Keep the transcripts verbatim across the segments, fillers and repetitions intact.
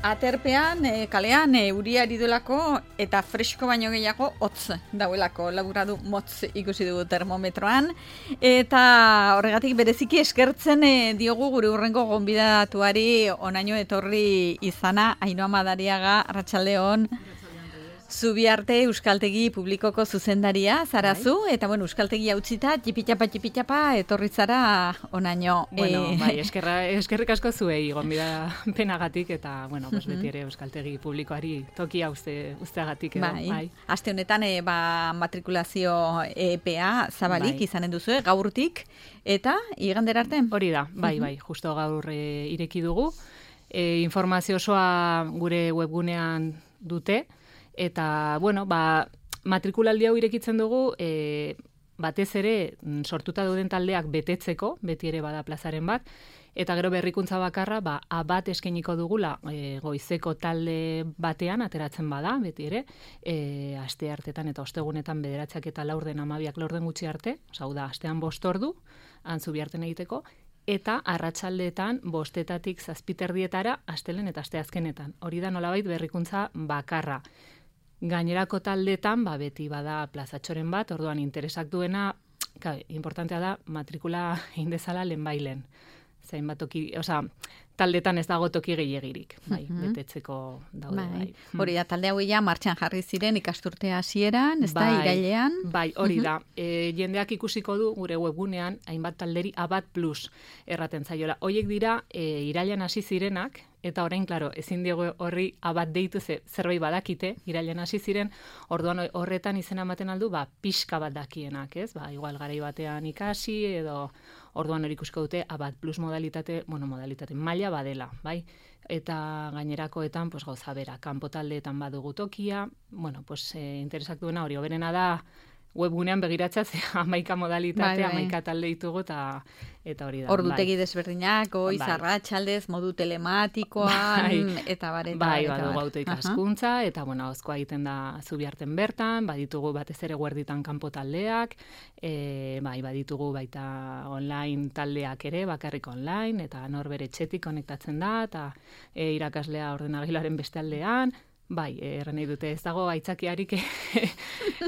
Aterpean, e, kalean, e, euria ari duelako eta fresko baino gehiago hotz dauelako, laburadu motz ikusi dugu termometroan. Eta horregatik bereziki eskertzen e, diogu gure hurrengo gonbidatuari onaino etorri izana, Ainhoa Madariaga, arratsaldeon. Zubiarte Euskaltegi Publikoko zuzendaria zarazu, eta bueno, Euskaltegi hautzita, txipitxapa, txipitxapa, etorri zara onaino. Bueno, e... bai, eskerra, eskerrik asko zuei, gonbida penagatik, eta, bueno, pues, beti ere Euskaltegi Publikoari tokia uste, usteagatik edo. Bai, bai. Aste honetan, e, ba, matrikulazio epea zabalik bai. Izanen duzu, gaurtik, eta igandera arte? Hori da, bai, bai, justo gaur e, ireki dugu. E, informazio osoa gure webgunean dute, eta, bueno, ba, matrikulaldi hau irekitzen dugu, e, batez ere, sortuta dauden taldeak betetzeko, beti ere bada plazaren bat, eta gero berrikuntza bakarra, ba, abat eskainiko dugula, e, goizeko talde batean, ateratzen bada, beti ere, e, aste hartetan eta ostegunetan bederatzak eta laurden amabiak laurden gutxi arte, hau da, astean bost ordu, antzu biharten egiteko, eta arratsaldeetan bostetatik zazpiterdietara, astelen eta asteazkenetan. Hori da nolabait berrikuntza bakarra. Gainerako taldetan, ba, beti bada plazatxoren bat, orduan interesak duena, ka, importantea da, matrikula indezala lehenbailen. Zain bat toki, oza, taldetan ez dago toki gehiagirik, bai, uh-huh. betetzeko daude, bai. bai. Hori da, talde hau ja martxan jarri ziren ikasturtea hasieran, ez da, irailean? Bai, hori uh-huh. da. E, jendeak ikusiko du gure webgunean, hainbat talderi Abat Plus erraten zaiola. Hoiek dira, e, irailean hasi zirenak, eta orain, klaro, ezin diego horri abat deitu ze, zerbait badakite, irailean hasi ziren, orduan horretan izena ematen aldu, ba, pixka bat dakienak, ez? Ba, igual garai batean ikasi, edo orduan hori ikusko dute, abat plus modalitate, bueno, modalitate maila badela, bai? Eta gainerakoetan, pues, gauza bera, kanpo taldeetan badugu tokia, bueno, pues, e, interesak duena hori, oberena da, webgunean begiratzea, ze hamaika modalitate, hamaika talde ditugu, eta eta hori da. Ordutegi bai. Desberdinak, goiz, bai. Arratsaldez, modu telematikoan, bai. eta bar, eta bai, bai, badugu auto ikaskuntza, uh-huh. eta, bueno, auzkoa egiten da Zubiarten bertan, baditugu batez ere guerditan kanpo taldeak, e, bai, baditugu baita online taldeak ere, bakarrik online, eta norbere etxetik konektatzen da, eta e, irakaslea ordenagilaren beste aldean, bai, erren nahi dute, ez dago aitzakiarik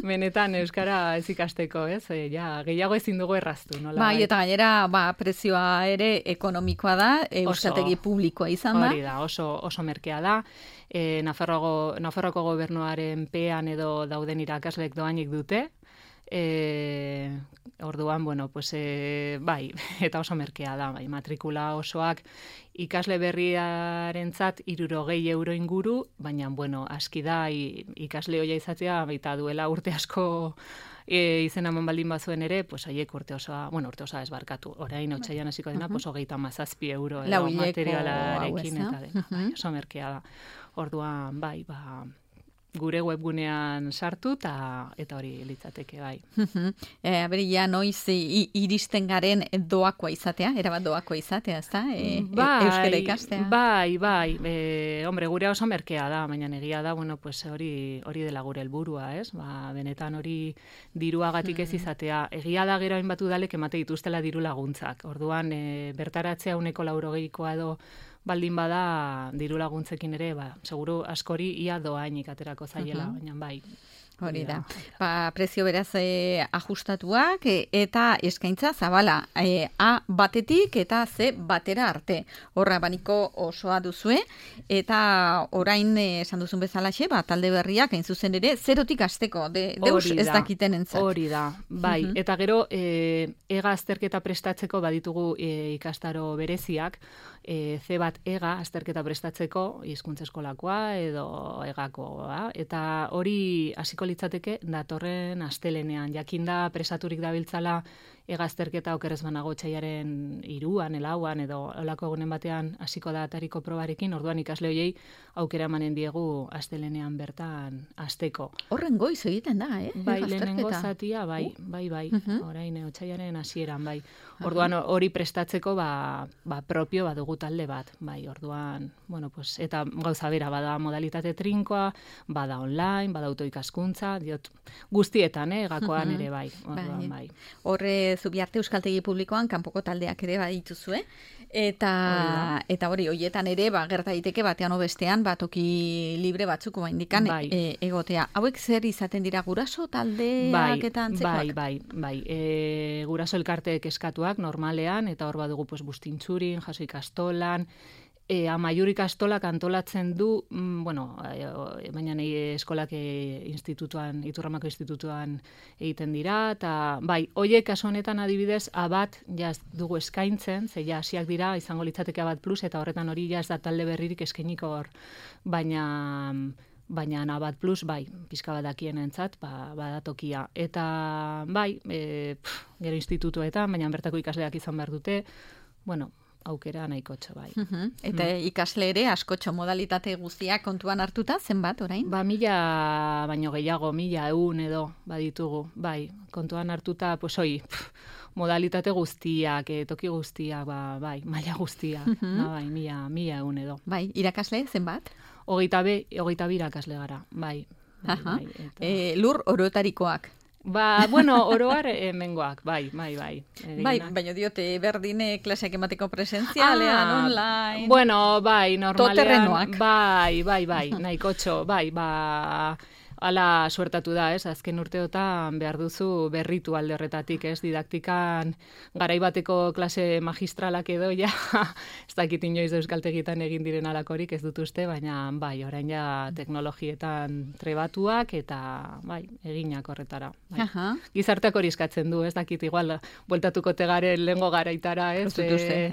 benetan euskara ez ikasteko, ez? E, ja, gehiago ezin dugu erraztu, nola? Bai, eta gainera, ba, prezioa ere ekonomikoa da, euskaltegi publikoa izan da. Hori da, oso, oso merkea da. E, Nafarroako, Nafarroako gobernuaren pean edo dauden irakasleek doainik dute. E, orduan, bueno, pues, e, bai, eta oso merkea da, bai, matrikula osoak ikasle berriarentzat hirurogei euro inguru, baina, bueno, aski da, ikasle hoia izatea, baita duela urte asko e, izena eman baldin bazuen ere, pues, haiek urte osoa, bueno, urte osoa ez barkatu, orain otsailean hasiko dena, uh-huh. pues, hogeita hamazazpi euro edo materialarekin, eta dena, uh-huh. bai, oso merkea da. Orduan, bai, ba, gure webgunean sartu eta eta hori litzateke, bai. e, Aberi, ja, noiz i, iristen garen doakoa izatea, erabat doakoa izatea, ez da? E, bai, euskara ikastea. Bai, bai. E, hombre, gure oso merkea da, baina egia da, bueno, pues hori hori dela gure helburua, ez? Ba, benetan hori diruagatik ez izatea. Egia da gero hainbat udalek emate dituztela diru laguntzak. Orduan, e, bertaratzea uneko laurogeikoa edo baldin bada diru laguntzekin ere, ba, seguru askori ia doainik aterako zaiela, uh-huh. baina bai. Hori da. Ba, prezio beraz e, ajustatuak e, eta eskaintza zabala. E, A batetik eta Z batera arte. Horra baniko osoa duzue. Eta orain e, esan duzun bezalaxe, ba, talde berriak hain zuzen ere, zerotik hasteko. De, deus ez dakiten entzat. Hori da. Bai. Uh-huh. Eta gero, e, ega azterketa prestatzeko baditugu e, ikastaro bereziak. E, C bat ega azterketa prestatzeko, hizkuntza eskolakoa edo egakoa. Eta hori hasiko litzateke datorren astelenean. Jakinda presaturik dabiltzala egazterketa okerrez banago txaiaren iruan, elauan, edo olako egunen batean hasiko da atariko probarekin, orduan ikasle hoiei aukera emanen diegu astelenean bertan asteko. Horren goiz egiten da, eh? Bai, lehenengo zatia, bai, bai, bai, uh-huh. orain otsailaren hasieran, bai. Orduan hori prestatzeko, ba, ba propio badugu talde bat, bai, orduan, bueno, pues, eta gauza bera, bada modalitate trinkoa, bada online, bada autoikaskuntza, eskaintza, diot, guztietan, eh, gakoan ere bai. Orduan, bai. Horre, Zubiarte Euskaltegi Publikoan kanpoko taldeak ere badituzue, eta eta hori, hoietan ere, ba, gerta daiteke batean obestean, ba, toki libre batzuk baindikan bai. e, egotea. Hauek zer izaten dira guraso taldeak bai, eta antzekoak? Bai, bai, bai. E, guraso elkarteek eskatuak normalean, eta hor badugu pues, bustintzurin, jaso ikastolan, E, amaiur ikastolak antolatzen du, mm, bueno, e, baina nahi eskolak e, institutuan, Iturramako institutuan egiten dira, eta bai, hoiek kasu honetan adibidez, abat, ja dugu eskaintzen, ze ja hasiak dira, izango litzateke abat plus, eta horretan hori ja ez da talde berririk eskainiko hor, baina... baina Abat Plus, bai, pizka bat dakienentzat, ba, badatokia. Eta, bai, e, pff, gero institutuetan, baina bertako ikasleak izan behar dute, bueno, aukera nahikotxo, bai. Uh-huh. Eta mm. ikasle ere, askotxo modalitate guztiak kontuan hartuta, zenbat, orain? Ba, mila, baino gehiago, mila eun edo, baditugu, bai, kontuan hartuta, pues, oi, pff, modalitate guztiak, e, toki guztiak, ba, bai, maila guztiak, uh-huh. ba, bai, mila, mila eun edo. Bai, irakasle, zenbat? Hogeita be, hogeita bi irakasle gara, bai. bai, bai eta... e, lur orotarikoak. Ba, bueno, oroar hemengoak, bai, bai, bai. Bai, baina diote, berdine klaseak emateko presentzialean, ah, online... Bueno, bai, normalean... Toterrenoak. Bai, bai, bai, nahikotxo, bai, ba... Hala suertatu da, ez, azken urteotan behar duzu berritu alde horretatik, ez, didaktikan garaibateko klase magistralak edo, ja, ez dakit inoiz euskaltegitan egin diren alakorik, ez dut uste, baina, bai, orain ja teknologietan trebatuak, eta, bai, eginak horretara. Bai. Aha. Gizarteak hori eskatzen du, ez dakit, igual, bueltatuko tegaren lehengo garaitara, ez, e,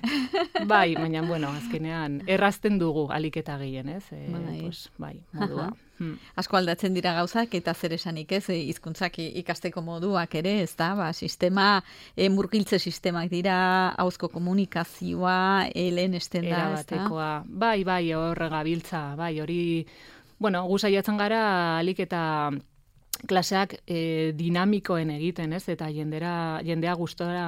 bai, baina, bueno, azkenean, errazten dugu aliketa gehien, ez, e, bai. Pues, bai, modua. Hmm. Asko aldatzen dira gauzak eta zer esanik ez, hizkuntzak ikasteko moduak ere, ez da, ba, sistema, e, murgiltze sistemak dira, hauzko komunikazioa, e, lehen esten da, ez da? Bai, bai, hor gabiltza, bai, hori, bueno, guzaiatzen gara alik eta klaseak e, dinamikoen egiten, ez, eta jendera, jendea gustora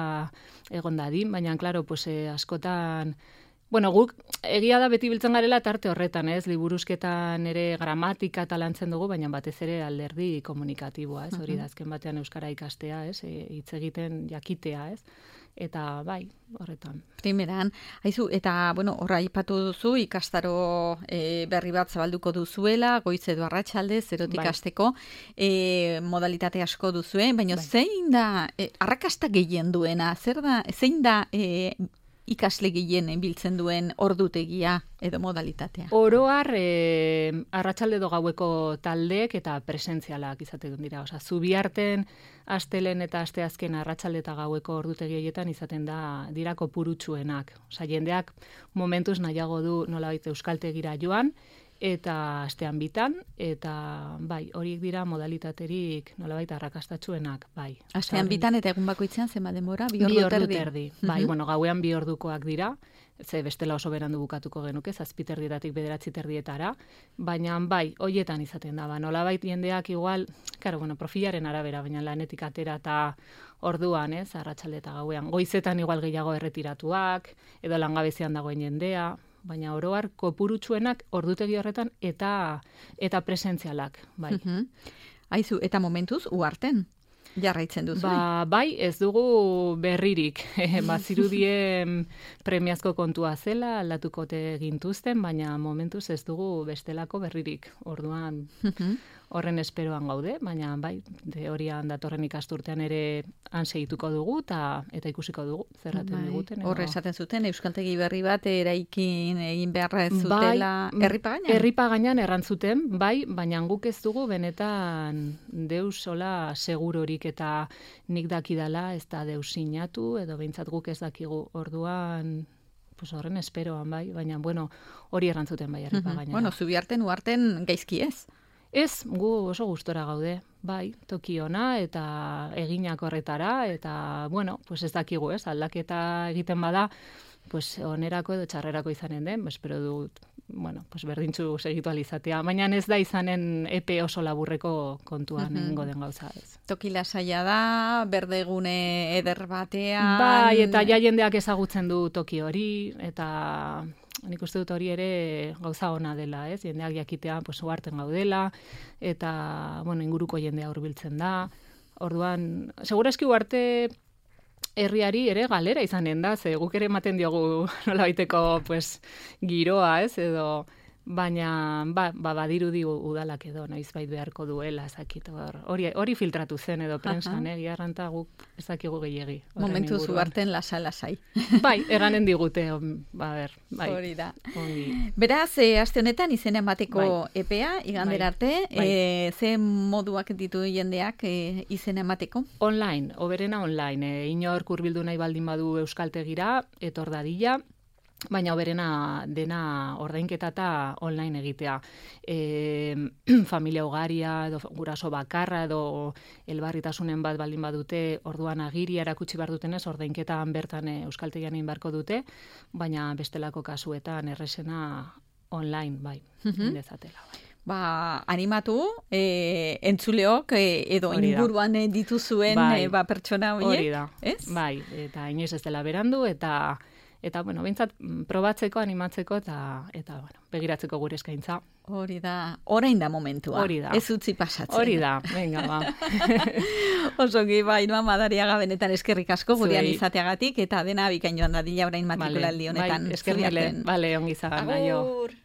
egon dadin, baina, klaro, pues, e, askotan... Bueno, guk egia da beti biltzen garela tarte horretan, ez? Liburuzketan ere gramatika eta lantzen dugu, baina batez ere alderdi komunikatiboa, ez? Hori da azken batean euskara ikastea, ez? E, hitz egiten jakitea, ez? Eta bai, horretan. Primeran, haizu, eta, bueno, horra aipatu duzu, ikastaro e, berri bat zabalduko duzuela, goiz edo arratsalde, zerotik bai. Hasteko, e, modalitate asko duzue, baina bai. Zein da, e, arrakasta gehien duena, zer da, zein da... E, ikasle gehien biltzen duen ordutegia edo modalitatea? Oroar, e, arratsalde edo gaueko taldeek eta presentzialak izaten dira. Osea, Zubiarten astelen eta asteazken arratsalde eta gaueko ordutegi horietan izaten da dira kopurutsuenak. Osea, jendeak momentuz nahiago du nolabait euskaltegira joan, eta astean bitan, eta bai, horiek dira modalitaterik nolabait arrakastatsuenak, bai. Astean bitan eta egun bakoitzean zenba denbora? Bi ordu bi ordu terdi. terdi. Bai, bueno, gauean bi ordukoak dira, ze bestela oso berandu bukatuko genuke, zazpi terdietatik bederatzi terdietara, baina bai, hoietan izaten da, ba, nolabait jendeak igual, claro, bueno, profilaren arabera, baina lanetik atera eta orduan, ez, arratsalde eta gauean, goizetan igual gehiago erretiratuak, edo langabezian dagoen jendea, baina oroar kopurutsuenak ordutegi horretan eta eta presentzialak, bai. Uh-huh. Aizu, eta momentuz, uarten jarraitzen duzu? Ba, bai, ez dugu berririk. Bazirudien premiazko kontua zela, aldatukote gintuzten, baina momentuz ez dugu bestelako berririk. Orduan, uh-huh. horren esperoan gaude, baina bai, de horian datorren ikasturtean ere han segituko dugu ta, eta ikusiko dugu zerraten bai. Diguten. Horre esaten zuten, euskaltegi berri bat eraikin egin beharra ez zutela bai, erripagainan? Erripagainan errantzuten, bai, baina guk ez dugu benetan deus sola segurorik eta nik dakidala ez da deus sinatu, edo behintzat guk ez dakigu orduan... Pues horren esperoan, bai, baina, bueno, hori errantzuten bai erripagainara. Bueno, Zubiarten, uarten gaizki ez? Ez, gu oso gustora gaude, bai, toki ona eta eginak horretara, eta, bueno, pues ez dakigu, ez, aldaketa egiten bada, pues onerako edo txarrerako izanen den, espero dut, bueno, pues berdintzu segitu alizatea, baina ez da izanen epe oso laburreko kontuan uh-huh. egingo den gauza, ez. Toki lasaia da, berdegune eder batean... Bai, eta ja jendeak ezagutzen du toki hori, eta... nik uste dut hori ere gauza ona dela, ez? Jendeak jakitea, pues, uarten gaudela, eta, bueno, inguruko jendea hurbiltzen da. Orduan, segurazki uarte herriari ere galera izanen da, ze guk ere ematen diogu nolabaiteko, pues, giroa, ez? Edo, baina, ba, ba badirudi udalak edo, noizbait beharko duela, ezakit, hori, hori filtratu zen edo prensan, eh, giarranta guk ezakigu gehiegi. Momentu zuarten lasa-lasai. Bai, eranen digute, ba, ber, bai. Hori da. Hori. Beraz, e, aste honetan izena emateko bai. epea, igandera bai. arte, bai. E, ze moduak ditu jendeak e, izena emateko? Online, oberena online, e, inor hurbildu nahi baldin badu euskaltegira, etor dadila, baina oberena dena ordainketa eta online egitea. E, familia ugaria, edo guraso bakarra, edo elbarritasunen bat baldin badute, orduan agiria erakutsi behar dutenez, ordainketan bertan e, euskaltegian egin beharko dute, baina bestelako kasuetan erresena online, bai, Mhm. dezatela, bai. Ba, animatu, e, entzuleok, e, edo Hori da. inguruan e, dituzuen Bai. e, ba, pertsona horiek. Hori da, ez? bai, eta inoiz ez dela berandu, eta eta bueno, behintzat probatzeko, animatzeko, eta, eta bueno, begiratzeko gure eskaintza. Hori da, orain da momentua. Hori da. Ez utzi pasatzen. Hori da, venga, ba. Osoki, bai, Ainhoa Madariaga benetan eskerrik asko gurean Zuei. izateagatik, eta dena bikain joan dadila orain matrikulaldi honetan. Bai, eskerrik, Zuri arte. bale, ongi zagan, aio. Agur!